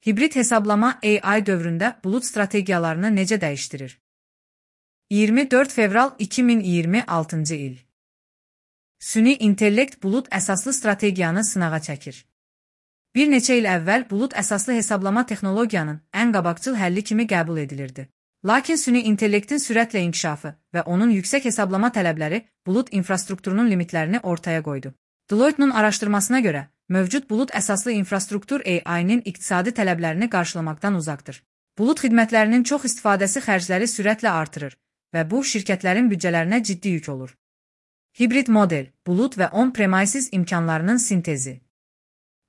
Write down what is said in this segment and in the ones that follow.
Hibrid hesablama AI dövründə bulut strategiyalarını necə dəyişdirir? 24 fevral 2026-cı il. Süni intellekt bulut əsaslı strategiyanı sınağa çəkir. Bir neçə il əvvəl bulut əsaslı hesablama texnologiyanın ən qabaqcıl həlli kimi qəbul edilirdi. Lakin süni intellektin sürətlə inkişafı və onun yüksək hesablama tələbləri bulut infrastrukturunun limitlərini ortaya qoydu. Deloitte'nin araşdırmasına görə, mövcud bulut əsaslı infrastruktur AI-nin iqtisadi tələblərini qarşılamaqdan uzaqdır. Bulut xidmətlərinin çox istifadəsi xərcləri sürətlə artırır və bu, şirkətlərin büdcələrinə ciddi yük olur. Hibrid model, bulut və on-premises imkanlarının sintezi.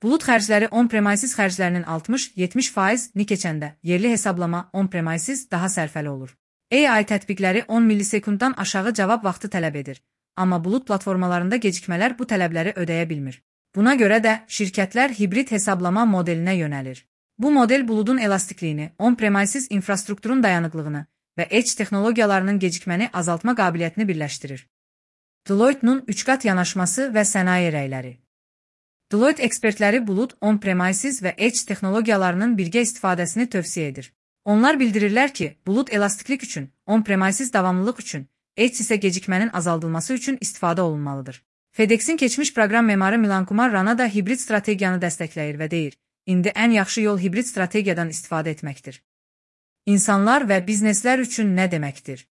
Bulut xərcləri on-premises xərclərinin 60-70%-ni keçəndə, yerli hesablama on-premises daha sərfəli olur. AI tətbiqləri 10 millisekunddan aşağı cavab vaxtı tələb edir, amma bulut platformalarında gecikmələr bu tələbləri ödəyə bilmir. Buna görə də şirkətlər hibrid hesablama modelinə yönəlir. Bu model buludun elastikliyini, on-premises infrastrukturun dayanıqlığını və edge texnologiyalarının gecikməni azaltma qabiliyyətini birləşdirir. Deloitte'nin 3 qat yanaşması və sənaye rəyləri. Deloitte ekspertləri bulut, on-premises və edge texnologiyalarının birgə istifadəsini tövsiyə edir. Onlar bildirirlər ki, bulut elastiklik üçün, on-premises davamlılıq üçün, edge isə gecikmənin azaldılması üçün istifadə olunmalıdır. FedEx'in keçmiş proqram memarı Milan Kumar Rana da hibrid strategiyanı dəstəkləyir və deyir, indi ən yaxşı yol hibrid strategiyadan istifadə etməkdir. İnsanlar və bizneslər üçün nə deməkdir?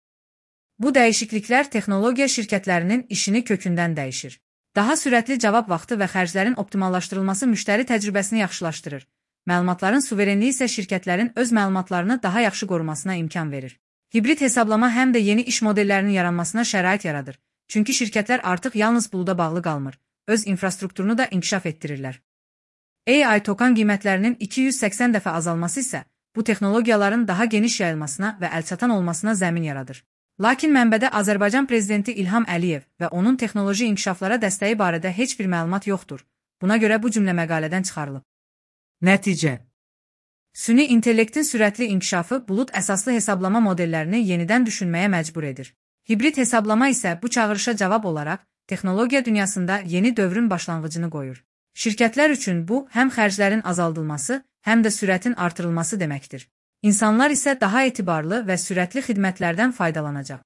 Bu dəyişikliklər texnologiya şirkətlərinin işini kökündən dəyişir. Daha sürətli cavab vaxtı və xərclərin optimallaşdırılması müştəri təcrübəsini yaxşılaşdırır. Məlumatların suverenliyi isə şirkətlərin öz məlumatlarını daha yaxşı qorumasına imkan verir. Hibrid hesablama həm də yeni iş modellərinin yaranmasına şərait yaradır. Çünki şirkətlər artıq yalnız buluda bağlı qalmır, öz infrastrukturunu da inkişaf etdirirlər. AI token qiymətlərinin 280 dəfə azalması isə bu texnologiyaların daha geniş yayılmasına və əlçatan olmasına zəmin yaradır. Lakin mənbədə Azərbaycan prezidenti İlham Əliyev və onun texnoloji inkişaflara dəstəyi barədə heç bir məlumat yoxdur. Buna görə bu cümlə məqalədən çıxarılıb. Nəticə. Süni intellektin sürətli inkişafı bulut əsaslı hesablama modellərini yenidən düşünməyə məcbur edir. Hibrid hesablama isə bu çağırışa cavab olaraq texnologiya dünyasında yeni dövrün başlanğıcını qoyur. Şirkətlər üçün bu, həm xərclərin azaldılması, həm də sürətin artırılması deməkdir. İnsanlar isə daha etibarlı və sürətli xidmətlərdən faydalanacaq.